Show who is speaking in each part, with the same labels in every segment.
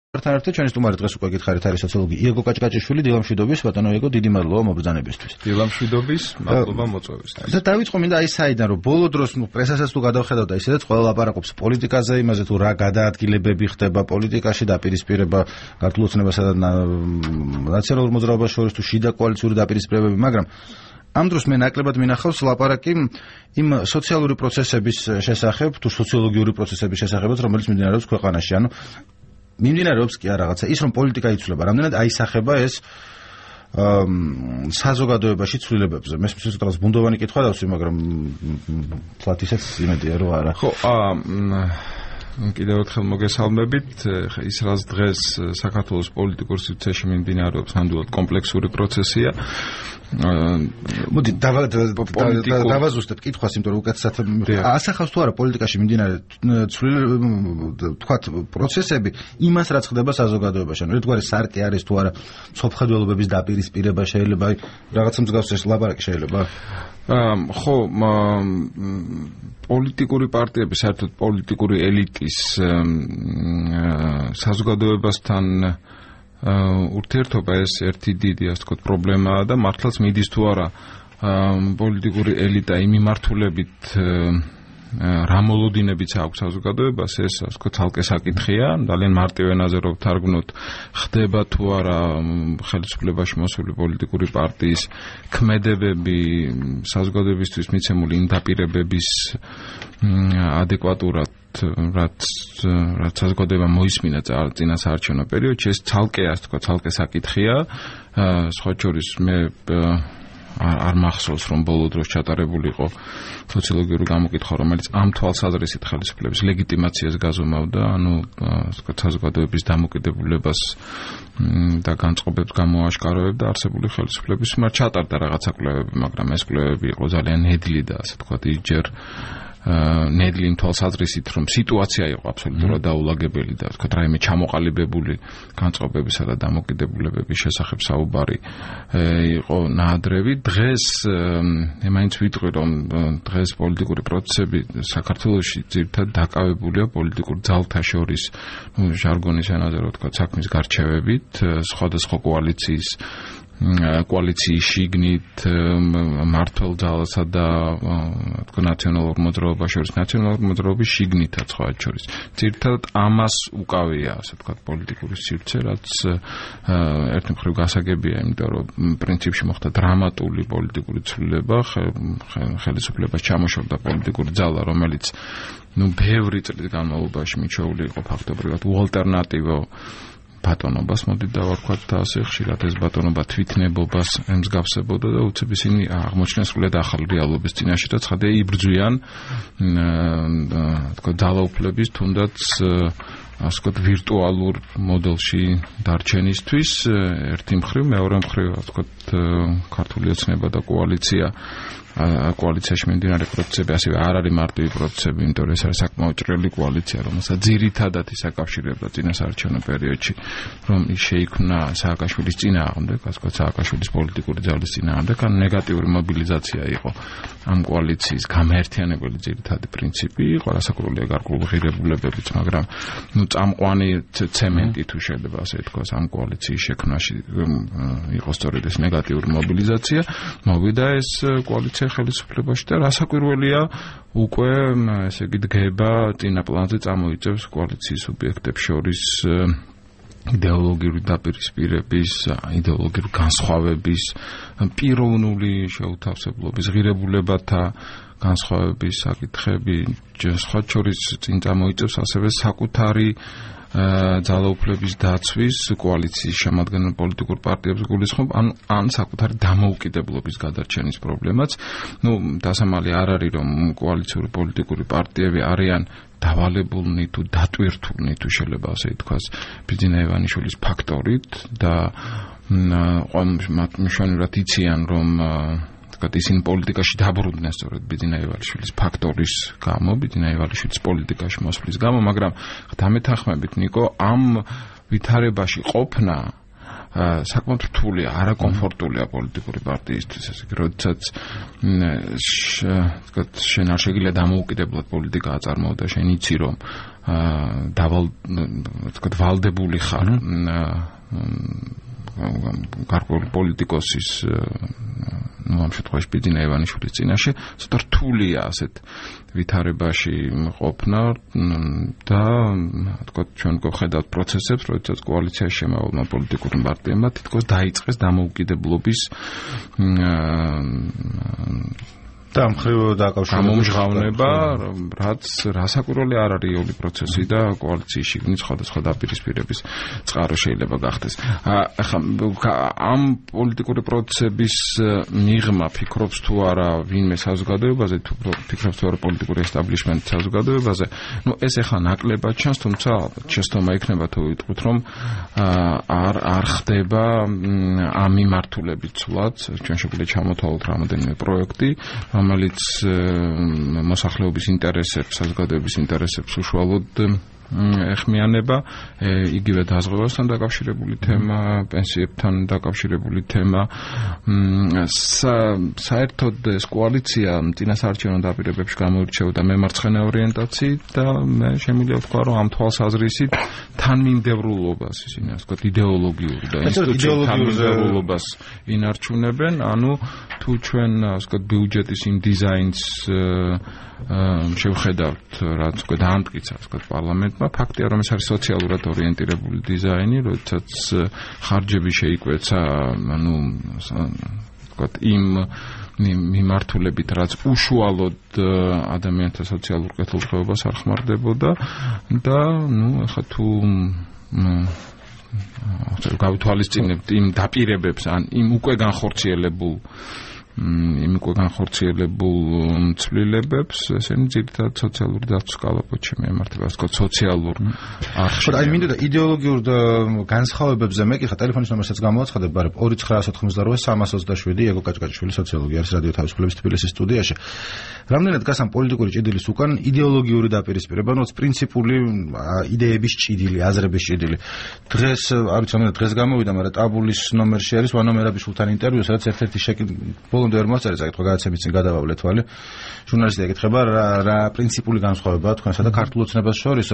Speaker 1: თან ერთად ჩვენი სტუმარი დღეს უკვე გითხარით არის სოციოლოგი იეგო კაჭკაჭიშვილი. დილამშვიდობის ბატონო იეგო, დიდი მადლობა მობრძანებისთვის.
Speaker 2: დილამშვიდობის, მადლობა მოწვევისთვის.
Speaker 1: და დავიწყო მინდა აი საიდან რომ ბოლო დროს პრესასაც თუ გადავხედავ და ისედაც ყველა ლაპარაკობს პოლიტიკაზე, იმაზე თუ რა გადაადგილებები ხდება პოლიტიკაში, დაპირისპირება ქართულ ოცნებასა და ნაციონალურ მოძრაობას შორის თუ შიდა კოალიციური დაპირისპირებები, მაგრამ ამ დროს მე ნაკლებად მინახავს ლაპარაკი იმ სოციალური პროცესების შესახებ, თუ სოციოლოგიური პროცესების შესახებაც, რომელიც მიმდინარეობს ქვეყანაში. ანუ მიმდინარეობს კი არ რაღაცა ის რომ პოლიტიკა იცვლება, რამდენად აისახება ეს საზოგადოებაში ცვლილებებზე. მე სპეციალურად ბუნდოვანი კითხვა დავსვი, მაგრამ თვათ ისეც იმედია რომ არა.
Speaker 2: ხო, კიდევ ერთხელ მოგესალმებით. ის რაც დღეს საქართველოს პოლიტიკურ სივრცეში მიმდინარეობს, ნამდვილად კომპლექსური პროცესია.
Speaker 1: მოდი დავაზუსტებ კითხვას, იმიტომ რომ უკეთესად ასახავს თუ არა პოლიტიკაში მიმდინარე თქვათ პროცესები იმას რაც ხდება საზოგადოებაში. ანუ ერთგვარი სარკე არის თუ არა სოფხედველობების დაპირისპირება შეიძლება რაღაცა მსგავს ეს ლაპარაკი შეიძლება?
Speaker 2: ხო, პოლიტიკური პარტიები, საერთოდ პოლიტიკური ელიტის საზოგადოებასთან ურთიერთობა ეს ერთი დიდი, ასე ვთქვათ, პრობლემაა და მართლაც მიდის თუ არა პოლიტიკური ელიტა იმ მიმართულებით რა მოლოდინებიც აქვს საზოგადოებას, ეს ასე ვთქვათ, ცალკე საკითხია. ძალიან მარტივ ენაზე რომ ვთარგმნოთ, ხდება თუ არა ხელისუფლებაში მოსული პოლიტიკური პარტიის ქმედებები საზოგადოებისთვის მიცემული იმ დაპირებების ადეკვატურად რაც საზოგადოება მოისმინა წინასაარჩევნო პერიოდში, ეს ცალკე, ასე ვთქვათ, ცალკე საკითხია. სხვა შორის მე არ მახსოვს რომ ბოლო დროს ჩატარებული იყო სოციოლოგიური გამოკითხვა, რომელიც ამ თვალსაზრისით ხელისუფლების ლეგიტიმაციას გაზომავდა, ანუ ასე ვთქვათ, საზოგადოების დამოკიდებულებას და განწყობებს გამოაშკარავებდა არსებული ხელისუფლების მიმართ. ჩატარდა რაღაცა კვლევები, მაგრამ ეს კვლევები იყო ძალიან ნედლი და ასე ვთქვათ, ისჯერ ნედლი იმ თვალსაზრისით, რომ სიტუაცია იყო აბსოლუტურად დაულაგებელი და ვთქვათ, რაიმე ჩამოყალიბებული განწყობებისა და დამოკიდებულებების შესახებ საუბარი იყო ნაადრევი. დღეს მაინც ვიტყვი, რომ დღეს პოლიტიკური პროცესები საქართველოში ძირითადად დაკავებულია პოლიტიკურ ძალთა შორის, ჟარგონის ენაზე რომ ვთქვათ, საქმის გარჩევებით, სხვადასხვა კოალიციის შიგნით მმართველ ძალასა და ნაციონალურ მოძრაობას შორის, ნაციონალურ მოძრაობის შიგნითაც სხვა შორის. ძირითადად ამას უკავია, ასე ვთქვათ, პოლიტიკური სივრცე, რაც ერთი მხრივ გასაგებია, იმიტომ რომ პრინციპში მოხდა დრამატული პოლიტიკური ცვლილება, ხელისუფლებას ჩამოშორდა პოლიტიკური ძალა, რომელიც ბევრი წლის განმავლობაში მიჩვეული იყო ფაქტობრივად უალტერნატივო ბატონობას, მოდით დავარქვათ და ასე ხშირად ეს ბატონობა თვითნებობას ემსგავსებოდა და უცებ ისინი აღმოჩნდნენ სრულიად ახალ რეალობის წინაშე და ცხადია იბრძვიან თქო ძალაუფლების თუნდაც ასე ვთქვათ ვირტუალურ მოდელში დარჩენისთვის ერთი მხრივ, მეორე მხრივ ასე ვთქვათ ქართული ოცნება და კოალიციაში მიმდინარე პროცესები ასევე არ არის მარტივი პროცესები, იმიტომ რომ ეს არის საკმაოდ ჭრელი კოალიცია, რომელსაც ძირითადად ის აკავშირებდა წინასაარჩევნო პერიოდში, რომ ის შეიქმნა სააკაშვილის წინააღმდეგ, ასე ვთქვათ, სააკაშვილის პოლიტიკური ძალის წინააღმდეგ, ან ნეგატიური მობილიზაცია იყო ამ კოალიციის გამაერთიანებელი ძირითადი პრინციპი, იყო რასაკვირველია გარკვეული ღირებულებებიც, მაგრამ წამყვანი ცემენტი თუ შეიძლება ასე ვთქვათ, ამ კოალიციის შექმნაში იყო სწორედ ეს ნეგატიური მობილიზაცია, მოვიდა ეს კოალიცია ხელისუფლებაში და რასაკვირველია უკვე ესე იგი დგება წინა პლანზე წამოიწევს კოალიციის სუბიექტებს შორის იდეოლოგიური დაპირისპირების, იდეოლოგიური განსხვავების, პიროვნული შეუთავსებლობის, ღირებულებათა განსხვავების საკითხები, სხვა შორის წინ წამოიწევს ასევე საკუთარი ძალაუფლების დაცვის კოალიციის შემადგენელ პოლიტიკურ პარტიებს გულისხმობ, ან საკუთარი დამოუკიდებლობის გადარჩენის პრობლემაც. დასამალი არ არის, რომ კოალიციური პოლიტიკური პარტიები არიან დავალებულნი თუ დატვირთულნი თუ შეიძლება ასე ითქვას ბიძინა ივანიშვილის ფაქტორით და მათ მნიშვნელოვნად იციან, რომ ისინი პოლიტიკაში დაბრუნდნენ სწორედ ბიძინა ივალიშვილის ფაქტორის გამო, ბიძინა ივალიშვილის პოლიტიკაში მოსვლის გამო, მაგრამ დამეთანხმებით, ნიკო, ამ ვითარებაში ყოფნა საკმაოდ რთულია, არაკომფორტულია პოლიტიკური პარტიისთვის, ესე იგი, როდესაც შენ არ შეგიძლია დამოუკიდებლად პოლიტიკა აწარმოო და შენ იცი, რომ ვალდებული ხარ გარკვეული პოლიტიკოსის ამ შემთხვევაში ბიძინა ივანიშვილის წინაშე ცოტა რთულია ასეთ ვითარებაში ყოფნა და თქვა ჩვენ გვხედავთ პროცესებს, როდესაც კოალიციაში შემავალმა პოლიტიკურმა პარტიებმა თითქოს დაიწყეს დამოუკიდებლობის
Speaker 1: და მხრივ
Speaker 2: გამომჟღავნება, რაც რასაკვირველი არ არის იული პროცესი და კოალიციის შიგნით სხვადასხვა დაპირისპირების წყარო შეიძლება გახდეს. ახლა ამ პოლიტიკური პროცესების მიღმა ფიქრობს თუ არა ვინმე საზოგადოებაზე, თუ ფიქრობს თუ არა პოლიტიკური ესტაბლიშმენტი საზოგადოებაზე, ეს ახლა ნაკლებად ჩანს, თუმცა შეცდომა იქნება თუ ვიტყვით, რომ არ ხდება ამ მიმართულებით ცვლად, ჩვენ შეგვიძლია ჩამოთვალოთ რამოდენიმე პროექტი, რომელიც მოსახლეობის ინტერესებს, საზოგადოების ინტერესებს უშუალოდ ეხმიანება, იგივე დაზღვევასთან დაკავშირებული თემა, პენსიებთან დაკავშირებული თემა. საერთოდ ეს კოალიცია წინასაარჩევნო დაპირებებში გამოირჩეოდა მემარცხენე ორიენტაციით და მე შემიძლია ვთქვა, რომ ამ თვალსაზრისით თანმიმდევრულობას, ისინი ასე ვთქვათ, იდეოლოგიურ და ინსტიტუციურ თანმიმდევრულობას ინარჩუნებენ, ანუ თუ ჩვენ ასე ვთქვათ ბიუჯეტის იმ დიზაინს შევხედავთ, რაც უკვე დაამტკიცა, ასე ვთქვათ, პარლამენტმა, ფაქტია, რომ ეს არის სოციალურად ორიენტირებული დიზაინი, როდესაც ხარჯები შეიკვეცა, ანუ ვთქვათ, იმ მიმართულებით, რაც უშუალოდ ადამიანთა სოციალურ კეთილდღეობას არ ხმარდებოდა და ახლა თუ გავითვალისწინებთ იმ დაპირებებს, ან იმ უკვე განხორციელებულ ცვლილებებს, ესენი ძირითადად სოციალური დაცვის კალაპოტში მიემართება, ასე ვთქვათ, სოციალურ არხში.
Speaker 1: აი მინდოდა იდეოლოგიურ განსხვავებებზე მე კი ხა ტელეფონის ნომერსაც გამოვაცხადებ, ბარებ 2988-327 ეგო კაჭკაჭიშვილი სოციოლოგი არის რადიო თავისუფლების თბილისის სტუდიაში. რამდენად გასამ პოლიტიკური ჭიდილის უკან იდეოლოგიური დაპირისპირება, ნუ პრინციპული იდეების ჭიდილი, აზრების ჭიდილი. დღეს არ ვიცი, რამდენად დღეს გამოვიდა, მაგრამ ტაბულის ნომერში არის ვანო მერაბიშვილთან ინტერვიუ, სადაც ერთ-ერთი ბოლომდე ვერ მოსწერე საკითხი, გადაცემის წინ გადავავლე თვალი. ჟურნალისტი ეკითხება რა პრინციპული განსხვავებაა თქვენსა და ქართულ ოცნებას შორის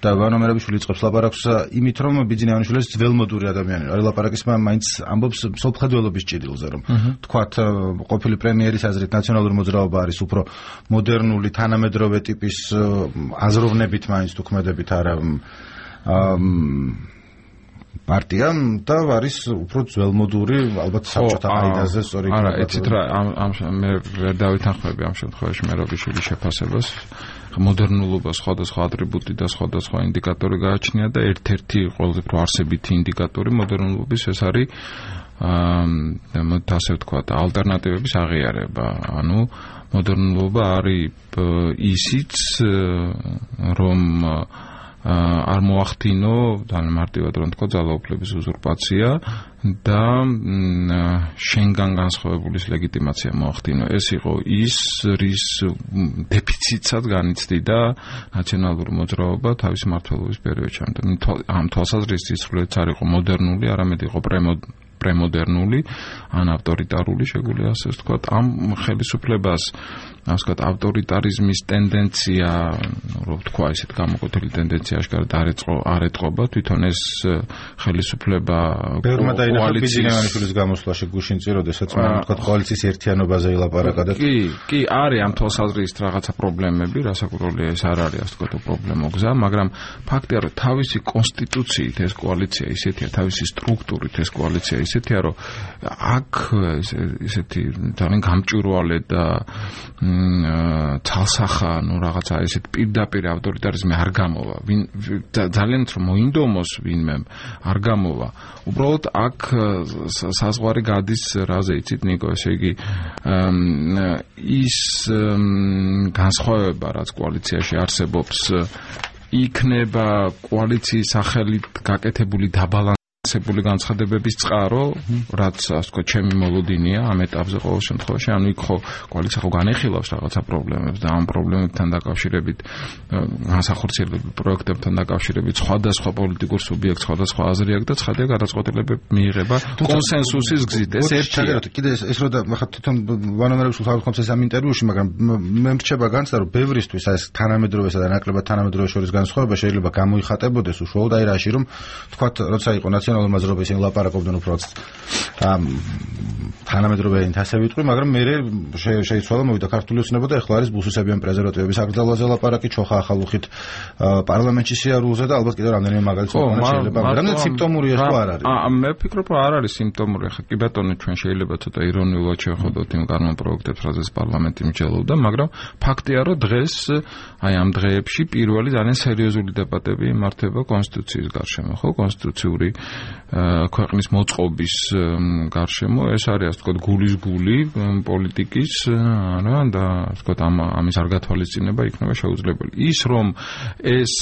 Speaker 1: და ვანო მერაბიშვილი იწყებს ლაპარაკს იმით, რომ ბიძინა ივანიშვილი ძველმოდური ადამიანია. არის ლაპარაკის მაინც ამბობს სოფხედველობის ჭიდილზე, რომ თქვათ ყოფილი პრემიერის აზრით ნაციონალური მოძრაობა არის უფრო მოდერნული, თანამედროვე ტიპის აზროვნებით მაინც თუ ქმედებით არა პარტია და არის უფრო ძველმოდური, ალბათ საბჭოთა ყაიდაზე სწორი.
Speaker 2: არა, ეცით რა, მე ვერ დავითანხმები ამ შემთხვევაში მერაბიშვილის შეფასებას. მოდერნულობა სხვადასხვა ატრიბუტი და სხვადასხვა ინდიკატორი გააჩნია და ერთ-ერთი ყველაზე უფრო არსებითი ინდიკატორი მოდერნულობის ეს არის ასე ვთქვათ, ალტერნატივების აღიარება. ანუ მოდერნულობა არის ისიც, რომ არ მოახდინო, ძალიან მარტივად რომ თქვა, ძალაუფლების უზურპაცია და შენგან განსხვავებულის ლეგიტიმაცია მოახდინო. ეს იყო ის, რის დეფიციტსაც განიცდიდა ნაციონალური მოძრაობა თავის მმართველობის პერიოდში. ამ თვალსაზრისით სრულიად არ იყო მოდერნული, არამედ იყო პრემოდერნული, ან ავტორიტარული, შეგვიძლია ასე ვთქვათ. ამ ხელისუფლებას, ასე ვთქვათ, ავტორიტარიზმის ტენდენცია, რო ვთქვა, ისეთ გამოკვეთილი ტენდენცია აშკარად არ ეტყობა, თვითონ ეს ხელისუფლება
Speaker 1: ბევრმა დაინახა ბიძინა ივანიშვილის გამოსვლაში გუშინწი, როდესაც მან ვთქვათ კოალიციის ერთიანობაზე ილაპარაკა და
Speaker 2: კი, არის ამ თვალსაზრისით რაღაცა პრობლემები, რასაკვირველია, ეს არ არის, ასე ვთქვათ, პრობლემო გზა, მაგრამ ფაქტია, რომ თავისი კონსტიტუციით ეს კოალიცია ისეთია, თავისი სტრუქტურით ეს კოალიცია ისეთია, რომ აქ ისეთი ძალიან გამჭვირვალე და თალსახა, ნუ რაღაცა ესეთ პირდაპირ ავტორიტარიზმი არ გამოვა. ძალიან რომ მოინდომოს ვინმე არ გამოვა. უბრალოდ აქ საზღვარი გადის რაზე იცით, ნიკო, ესე იგი ის განსხვავება, რაც კოალიციაში არსებობს, იქნება კოალიციის სახელით გაკეთებული დაბალანსება დაბალანსებული განცხადებების წყარო, რაც ასე ვთქვათ, ჩემი მოლოდინია ამ ეტაპზე ყოველ შემთხვევაში, ანუ იქ ხო კოალიცია ხო განეხილავს რაღაცა პრობლემებს და ამ პრობლემებთან დაკავშირებით განსახორციელებულ პროექტებთან დაკავშირებით სხვადასხვა პოლიტიკურ სუბიექტს სხვადასხვა აზრი აქვს და ცხადია გადაწყვეტილებები მიიღება კონსენსუსის გზით. ეს ერთია.
Speaker 1: კიდე ეს რო და ხა თვითონ ვანომერებს ვთქვამს ეს ამ ინტერვიუში, მაგრამ მე მრჩება განცდა რომ ბევრისთვის ეს თანამედროვესა და ნაკლებად თანამედროვე შორის განსხვავება შეიძლება გამოიხატებოდეს უშუალოდ აი რაში რომ თქვათ როცა იყო ნაციონალური მოძრაობა ისინი ლაპარაკობდნენ უბრალოდ თანამედროვეებით ასე ვიტყვი, მაგრამ მე შეიცვალა მოვიდა ქართული ოცნება და ეხლა არის ბუსუსებიან პრეზერვატივების აკრძალვაზე ლაპარაკი, ჩოხა ახალუხით პარლამენტში სიარულზე და ალბათ კიდევ რამდენიმე მაგალითი შეიძლება, მაგრამ სიმპტომურია ხო არ არის?
Speaker 2: მე ვფიქრობ რომ არ არის სიმპტომური, ხა კი ბატონო ჩვენ შეიძლება ცოტა ირონიულად შევხედოთ იმ გარემო პროექტებს, რაზეც პარლამენტი მსჯელობდა, მაგრამ ფაქტია რომ დღეს აი ამ დღეებში პირველი ძალიან სერიოზული დებატები იმართება კონსტიტუციის გარშემო, ხო? კონსტიტუციური ქვეყნის მოწყობის გარშემო, ეს არის ასე ვთქვათ გულის გული პოლიტიკის რა და ასე ვთქვათ ამის არ გათვალისწინება იქნება შეუძლებელი. ის რომ ეს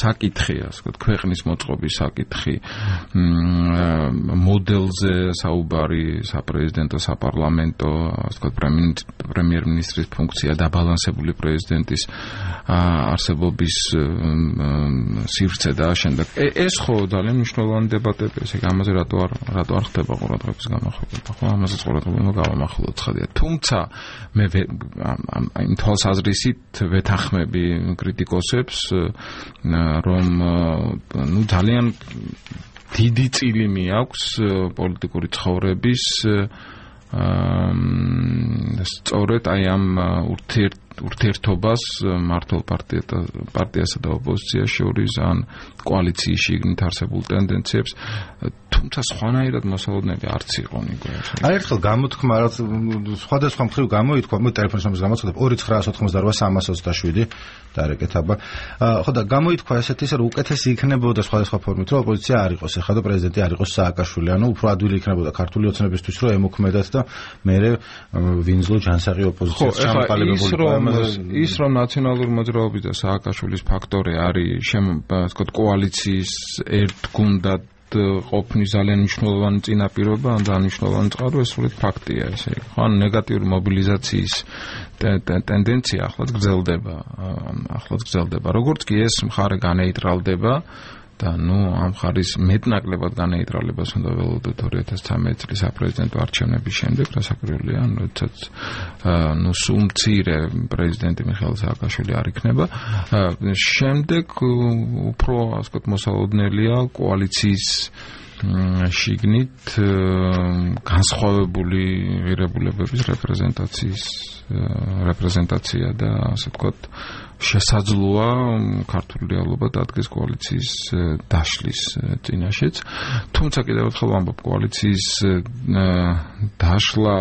Speaker 2: საკითხი ასე ვთქვათ ქვეყნის მოწყობის საკითხი მოდელზე საუბარი საპრეზიდენტო საპარლამენტო ასე ვთქვათ პრემიერ-მინისტრის ფუნქცია დაბალანსებული პრეზიდენტის არსებობის სივრცე და შემდეგ ეს ხო ძალიან მნიშვნელოვანი დებატები ესე ამაზე რატო არ ხდება ყურადღების განმახვილება ხო ამაზეც ყურადღება გავამახვილოთ ხადია თუმცა მე იმ თვალსაზრისით ვეთანხმები კრიტიკოსებს რომ ნუ ძალიან დიდი წილი მიაქვს პოლიტიკური ცხოვრების სწორედ აი ამ ურთიერთობას მართლ პარტიასა და ოპოზიციას შორის ან კოალიციის შიგნით არსებულ ტენდენციებს თუმცა სხვანაირად მოსალოდნელი არც იყო ნიკო.
Speaker 1: აი ერთხელ გამოთქმა რაც სხვადასხვა მხრივ გამოითქვა, მე ტელეფონის ნომერს გამოცხადებ 2988-327 დარეკეთება. ხო და გამოითქვა ესეთი რომ უკეთესი იქნებოდა სხვადასხვა ფორმით რომ ოპოზიცია არ იყოს ეხლა და პრეზიდენტი არ იყოს სააკაშვილი, ანუ უფრო ადვილი იქნებოდა ქართული ოცნებისთვის რომ ემოქმედათ და მერე ვინძლო ჯანსაღი ოპოზიციას ჩამოყალიბებული
Speaker 2: ის რომ ნაციონალური მოძრაობის და სააკაშვილის ფაქტორი არის ვთქვათ კოალიციის ერთგუნდად ყოფნის ძალიან მნიშვნელოვანი წინაპირობა ან ძალიან მნიშვნელოვანი წყარო ეს სრულად ფაქტია ესე იგი. ხო ნეგატიური მობილიზაციის ტენდენცია ახლაც გრძელდება. როგორც კი ეს მხარე განეიტრალდება და ნუ ამ ხარის მეტნაკლებად განეიტრალებას უნდა ველოდოთ 2013 წლის საპრეზიდენტო არჩევნების შემდეგ, რასაკვირველია, როდესაც ნუ სულ მცირე პრეზიდენტი მიხეილ სააკაშვილი არ იქნება. შემდეგ უფრო ასე ვთქვათ მოსალოდნელია კოალიციის შიგნით განსხვავებული ღირებულებების რეპრეზენტაცია და ასე ვთქვათ შესაძლოა ქართული რეალობა დადგეს კოალიციის დაშლის წინაშეც. თუმცა კიდევ ერთხელ ვამბობ, კოალიციის დაშლა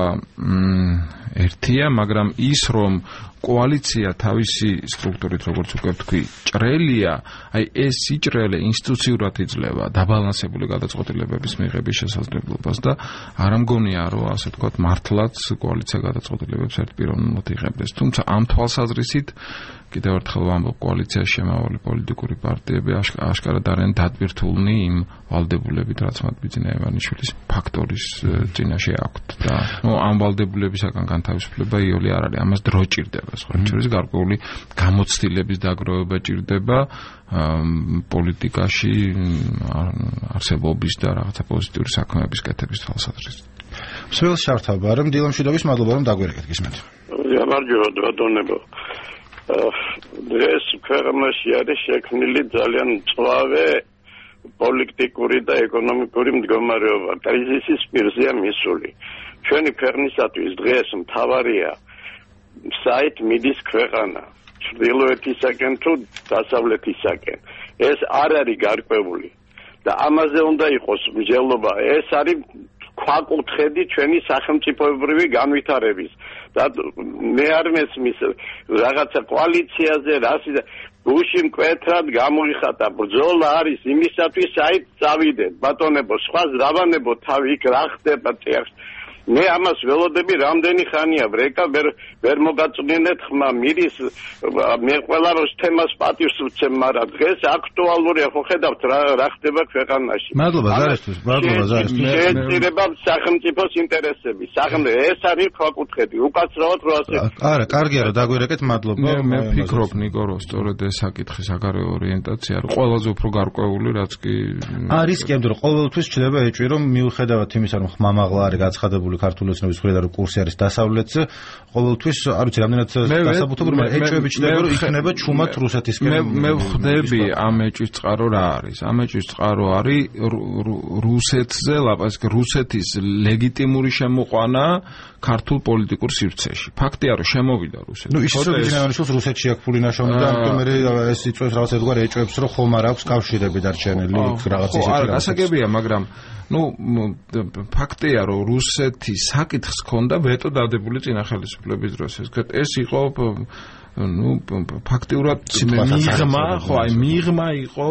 Speaker 2: ერთია, მაგრამ ის რომ კოალიცია თავისი სტრუქტურით, როგორც უკვე ვთქვი, ჭრელია, აი ეს სიჭრელე ინსტიტუციურად იძლევა დაბალანსებული გადაწყვეტილებების მიღების შესაძლებლობას და არ ამგონია, რომ ასე ვთქვათ, მართლაც კოალიცია გადაწყვეტილებებს ერთპიროვნულად იღებდეს. თუმცა ამ თვალსაზრისით კიდევ ერთხელ ვამბობ, კოალიციაში შემავალი პოლიტიკური პარტიები აშკარად არიან დატვირთულნი იმ ვალდებულებით, რაც მათ ბიძინა ივანიშვილის ფაქტორის წინაშე აქვთ და ამ ვალდებულებისაგან განთავისუფლება იოლი არ არის. ამას დრო ჭირდება. შორის გარკვეული გამოცდილების დაგროვება ჭირდება პოლიტიკაში არსებობის და რაღაცა პოზიტიური საქმეების კეთების თვალსაზრისით.
Speaker 1: მსმენელს შართავა, რომ დილამშვიდობის მადლობა რომ დაგვერეკეთ გისმენთ.
Speaker 3: გამარჯობა ბატონებო. დღეს ქვეყანაში არის შექმნილი ძალიან მწვავე პოლიტიკური და ეკონომიკური მდგომარეობა. კრიზისის პირზეა მისული. ჩვენი ქვეყნისათვის დღეს მთავარია საით მიდის ქვეყანა ჩრდილოეთისაკენ თუ დასავლეთისაკენ. ეს არ არის გარკვეული და ამაზე უნდა იყოს მსჯელობა. ეს არის ქვაკუთხედი ჩვენი სახელმწიფოებრივი განვითარების და მე არ მესმის რაღაცა კოალიციაზე რასი გუში მკვეთრად გამოიხატა. ბრძოლა არის იმისათვის საით წავიდეთ ბატონებო, სხვა ზრავანებო თავი იქ რა ხდება წიაღს. მე ამას ველოდები რამდენი ხანია ბრეკა ვერ მოგაწვნინეთ ხმა მირის მე ყველა როს თემას პატივს ვცემ მაგრამ დღეს აქტუალურია ხო ხედავთ რა ხდება ქვეყანაში
Speaker 1: მადლობა ზარისთვის
Speaker 3: შეეწირება სახელმწიფოს ინტერესები ეს არის ქვაკუთხედი უკაცრავად რო ასე
Speaker 1: არა კარგია რომ დაგვირეკეთ მადლობა
Speaker 2: მე ვფიქრობ ნიკო რომ სწორედ ეს საკითხი საგარეო ორიენტაცია არის ყველაზე უფრო გარკვეული რაც კი
Speaker 1: არის კი ამიტომ ყოველთვის ჩდება ეჭვი რომ მიუხედავად იმისა რომ ხმამაღლა არის გაცხადებული ქართული ოცნების მხრიდან რომ კურსი არის დასავლეთზე ყოველთვის არ ვიცი რამდენად დასაბუთებული მაგრამ ეჭვები ჩდება რომ იქნება ჩუმად რუსეთისკენ
Speaker 2: მე ვხვდები ამ ეჭვის წყარო რა არის ამ ეჭვის წყარო არის რუსეთზე ლაპარაკი რუსეთის ლეგიტიმური შემოყვანა ქართულ პოლიტიკურ სივრცეში ფაქტია რომ შემოვიდა რუსეთი
Speaker 1: ნუ ის ისოდინავანიშვილს რუსეთში აქვს ფული ნაშრომი და ამიტომ მე ეს იწვევს რაღაც ერთგვარ ეჭვებს რომ ხომ არ აქვს კავშირები დარჩენილი რაღაც ისეთი
Speaker 2: არა გასაგებია მაგრამ ну ფაქტია რომ რუსეთი საკითხს ჰქონდა ვეტო დადებული წინა ხელისუფლების დროს ეს იყო ну ფაქტიურად მიღმა იყო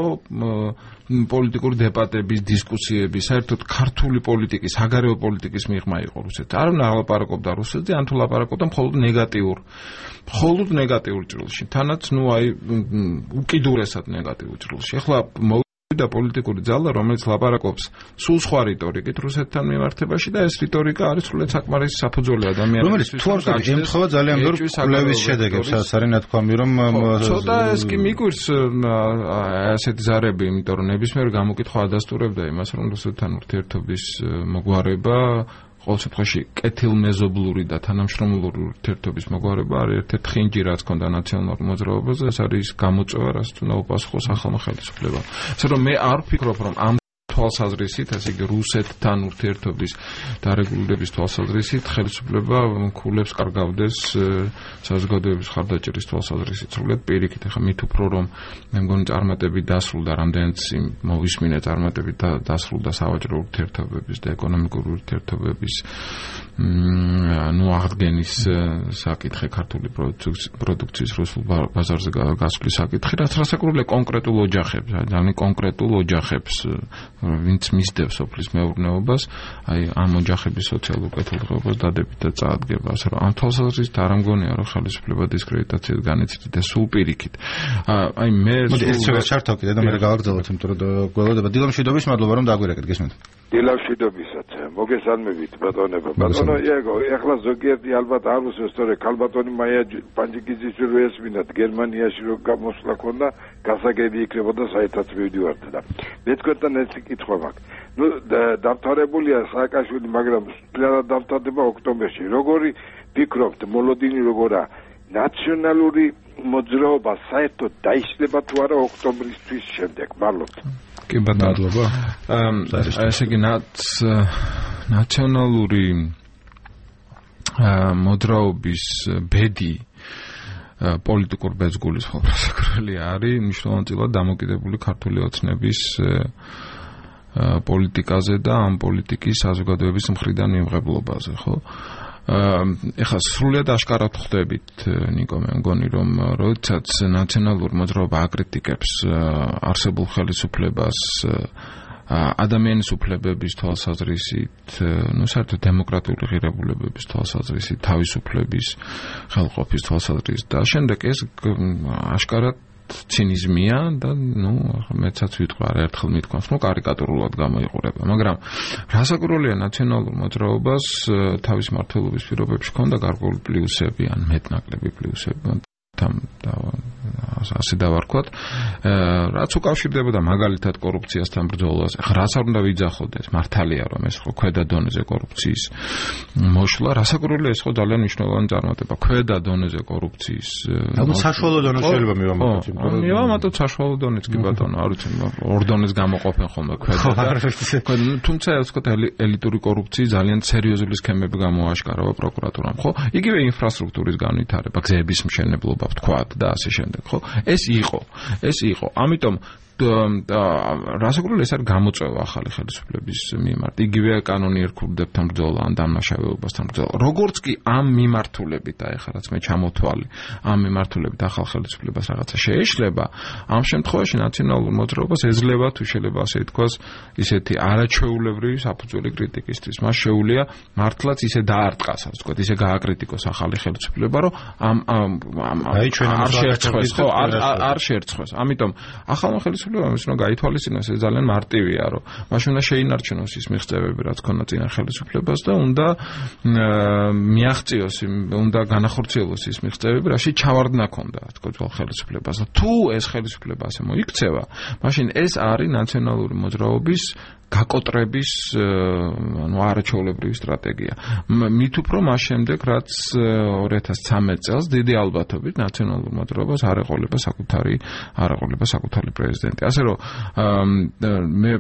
Speaker 2: პოლიტიკური დებატების დისკუსიების საერთოდ ქართული პოლიტიკის საგარეო პოლიტიკის მიღმა იყო რუსეთი არ ლაპარაკობდა რუსეთზე ან თუ ლაპარაკობდა მხოლოდ ნეგატიურ ჭრილში თანაც ну აი უკიდურესად ნეგატიურ ჭრილში ახლა და პოლიტიკური ძალა რომელიც ლაპარაკობს სულ სხვა რიტორიკით რუსეთთან მიმართებაში და ეს რიტორიკა არის სრულიად საკმარისი საფუძველი ადამიანის
Speaker 1: რომელიც თუ არ ემთხვევა ძალიან ბევრ კვლევის შედეგებს არის ნათქვამი რომ
Speaker 2: ცოტა ეს კი მიგვირს ასეთი ზარები იმიტომ რომ ნებისმიერ გამოკითხვა ადასტურებდა იმას რომ რუსეთთან ურთიერთობის მოგვარება ყოველ შემთხვევაში კეთილმეზობლური და თანამშრომლური ურთიერთობის მოგვარება არის ერთ-ერთი ხინჯი რაც ქონდა ნაციონალურ მოძრაობაზე ეს არის გამოწვევა რაც უნდა უპასუხოს ახალმა ხელისუფლებამ ასე რომ მე არ ვფიქრობ რომ ამ თვალსაზრისით ასე იგი რუსეთთან ურთიერთობის დარეგულირების თვალსაზრისით ხელისუფლება ქულებს კარგავდეს საზოგადოების ხარდაჭერის თვალსაზრისით სრულიად პირიქით ახლა მით უფრო რომ მე მგონი წარმატებით დასრულდა რამდენიც მოვისმინე წარმატებით დასრულდა სავაჭრო ურთიერთობების და ეკონომიკური ურთიერთობების ну აღდგენის საკითხი ქართული პროდუქციის რუსულ ბაზარზე გასვლის საკითხი რაც რასაკურებელია კონკრეტულ ოჯახებს ძალიან კონკრეტულ ოჯახებს ვინც მისდევს სოფლის მეურნეობას, აი ამ ოჯახების სოციალურ კეთილდღეობას დადებით და წაადგება. ასე რომ ამ თვალსაზრისით არ ამგონია რომ ხელისუფლება დისკრედიტაციას განიცდით და სულ პირიქით. აი მე
Speaker 1: ეს ჩართო კიდე და მე გავაგრძელოთ, იმიტომ რომ გველოდება დილამშვიდობის მადლობა რომ დაგვირეკეთ, გესმენთ.
Speaker 4: დილამშვიდობისაც მოგესალმებით ბატონებო. ბატონო იაგო, ეხლა ზოგიერთი ალბათ არ უსვეს, თორე ქალბატონი მაია პანჯიკიძის რო ესმინათ გერმანიაში რო გამოსვლა ქონდა, გასაგები იქნებოდა საერთოდ მივდივართ და მე თქვენთან ეს კითხვა მაქვს. ნუ დამთავრებულია სააკაშვილი, მაგრამ სპეციალურად დამთავრდება ოქტომბერში. როგორი ფიქრობთ, მოლოდინი როგორა ნაციონალური მოძრაობა საერთოდ დაიშლება თუ არა ოქტომბრის შემდეგ? მადლობთ.
Speaker 2: კი ბატონო. ესე იგი ნაციონალური მოძრაობის ბედი პოლიტიკურ ბეძგულის ხელმძღვანელი არის მნიშვნელოვნად დამოკიდებული ქართული ოცნების პოლიტიკაზე და ამ პოლიტიკის საზოგადოების მხრიდან მიმღებლობაზე, ხო? ეხლა სრულიად აშკარად ხვდებით, ნიკო, მე მგონი რომ როდესაც ნაციონალური მოძრაობა აკრიტიკებს არსებულ ხელისუფლებას ადამიანის უფლებების თვალსაზრისით, ну, საერთოდ დემოკრატიული ღირებულებების თვალსაზრისით, თავისუფლების ხელყოფის თვალსაზრისით და შემდეგ ეს აშკარად ცინიზმია და ну, მეცაც ვიტყვი არაერთხელ მithქვამს, ну, კარიკატურულად გამოიყურება, მაგრამ რასაკურველია ნაციონალურ მოძრაობას თავის მმართველობის პირობებში ჰქონდა გარკვეული პლუსები ან მეტნაკლები პლუსები ასე დავარქვათ, რაც უკავშირდებოდა მაგალითად კორუფციასთან ბრძოლას. ახლა რაც არ უნდა ვიძახოდეს, მართალია რომ ეს ხო ქვედა დონეზე კორუფციის მოშლა, რასაკურველია ეს ხო ძალიან მნიშვნელოვანი წარმატება. ქვედა დონეზე კორუფციის
Speaker 1: ალბათ საშუალო დონე შეიძლება მივამატოთ.
Speaker 2: მივამატოთ საშუალო დონეც კი ბატონო, არ ვიცი, ორ დონეს გამოყოფენ ხოლმე ქვედა. თუმცა ეს ხო ელიტური კორუფციის ძალიან სერიოზული სქემები გამოაშკარავა პროკურატურამ, ხო? იგივე ინფრასტრუქტურის განვითარება, გზების მშენებლობა, ვთქვათ და ასე შემდეგ, ხო? ეს იყო. ამიტომ რასაკვირველია ეს არის გამოწვევა ახალი ხელისუფლების მიმართ. იგივე კანონიერ ქურდებთან ბრძოლა ან დამნაშავეობასთან ბრძოლა. როგორც კი ამ მიმართულებით ეხლა რაც მე ჩამოთვალი, ამ მიმართულებით ახალ ხელისუფლებას რაღაცა შეეშლება, ამ შემთხვევაში ნაციონალურ მოძრაობას ეძლევა თუ შეიძლება ასე ითქვას, ისეთი არაჩვეულებრივი საფუძველი კრიტიკისთვის. მას შეუძლია მართლაც ისე დაარტყას, ასე ვთქვათ, ისე გააკრიტიკოს ახალი ხელისუფლება, რომ არ შეერცხოს. ამიტომ ახალმა ხელისუფლებამ ის რომ გაითვალისწინოს, ეს ძალიან მარტივია, რომ მაშინ უნდა შეინარჩუნოს ის მიღწევები, რაც ქონდა წინა ხელისუფლებას და უნდა მიაღწიოს, უნდა განახორციელოს ის მიღწევები, რაში ჩავარდნა ქონდა, თქო, ძველ ხელისუფლებას. თუ ეს ხელისუფლება ასე მოიქცევა, მაშინ ეს არის ნაციონალური მოძრაობის გაკოტრების არაჩვეულებრივი სტრატეგია. მით უფრო მას შემდეგ, რაც 2013 წელს დიდი ალბათობით ნაციონალურ მოძრაობას არ ეყოლება საკუთარი პრეზიდენტი. ასე რომ მე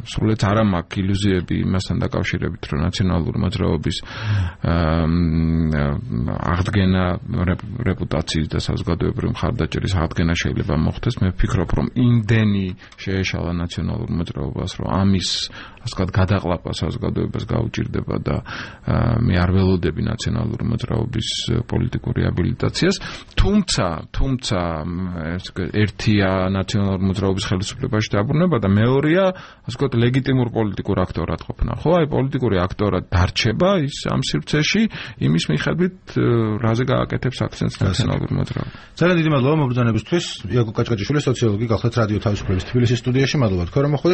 Speaker 2: სულაც არ მაქვს ილუზიები იმასთან დაკავშირებით, რომ ნაციონალური მოძრაობის აღდგენა რეპუტაციის და საზოგადოებრივი მხარდაჭერის აღდგენა შეიძლება მოხდეს. მე ვფიქრობ, რომ იმდენი შეეშალა ნაციონალურ მოძრაობას, რომ ამის ასე ვთქვათ გადაყლაპა საზოგადოებას გაუჭირდება და მე არ ველოდები ნაციონალური მოძრაობის პოლიტიკურ რეაბილიტაციას. თუმცა ერთია ნაციონალური მოძრაობის ხელისუფლებაში დაბრუნება და მეორეა ასე ვთქვათ ლეგიტიმურ პოლიტიკურ აქტორად ყოფნა. ხო, აი პოლიტიკური აქტორად დარჩება ის ამ სივრცეში იმის მიხედვით, რაზე გააკეთებს აქცენტს ნაციონალური მოძრაობა.
Speaker 1: ძალიან დიდი მადლობა მობრძანებისთვის. იაკობ კაჭკაჭიშვილი, სოციოლოგი, გახლდათ რადიო თავისუფლების თბილისის სტუდიაში. მადლობა თქვენ რომ მოხვდით.